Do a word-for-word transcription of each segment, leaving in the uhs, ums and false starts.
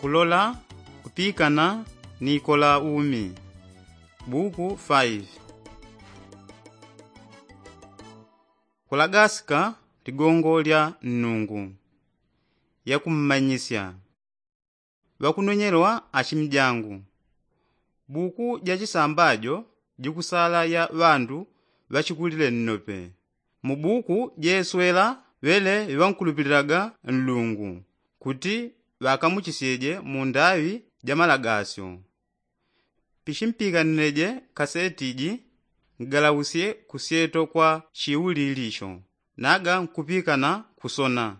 Kulola kupikana ni kola umi. Buku five. Kulagasika ligongo lya nnungu. Yakummanyisya. Ŵakunonyelwa ashimi jangu. Buku ja chisambajo jikusala ya ŵandu ŵachikulile nnope. Mu buku jeswela ŵele ŵankulupililaga nlungu kuti ŵakamuchisyeje mu ndaŵi ja malagasyo. Pichimpikanileje kaseti ji, ngalausye kusyeto kwa chiulilisho naga nkupikana kusona.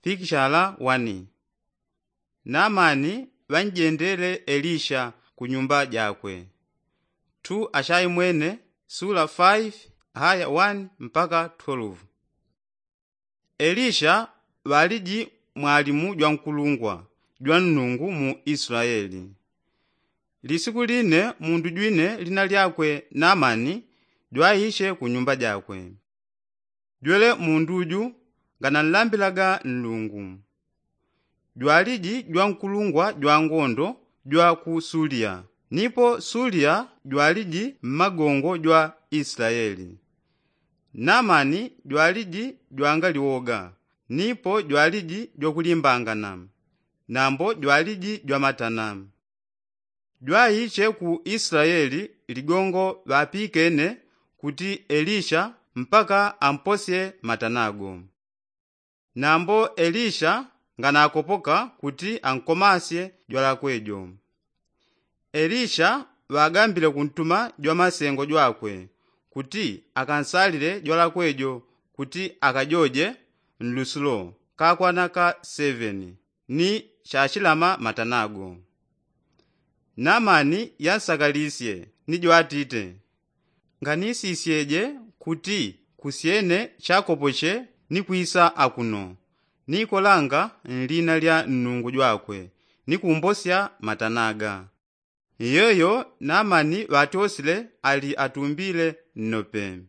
Pikishala wani. Namani ŵanjendele elisha ku nyumba jakwe. Tu ashaimwene sula five haya wani mpaka twelve. Elisha ŵaliji mwalimu jwankulungwa jwannungu mu islaeli. Lisiku line mundu jwine lina lyakwe namani jwaiche ku nyumba jakwe. Jwele mundu ju ngananlambilaga nlungu. Jwaliji jwankulungwa jwangondo jwa ku sulia. Nipo sulia jwaliji mmagongo jwa islaeli. Namani jwaliji jwangaliwoga. Nipo jwaliji jwakulimbangana. Nambo jwaliji jwamatana. Jwaiche ku islaeli ligongo ŵapikene kuti elisha mpaka amposye matanago. Nambo elisha nganakopoka kuti ankomasye jwalakwe jo. Elisha ŵagambile kuntuma jwamasengo jwakwe kuti akansalile jwalakwe jo kuti akajoje nlusulo kakwana ka seveni ni chachilama matanago. Namani yansakalisye ni jwatite, nganisisyeje kuti kusyene chakopoche ni kwisa akuno, nikolanga nlina lya nnungu jwakwe ni kumbosya matanaga. Iyoyo namani ŵatosile ali atumbile nnope.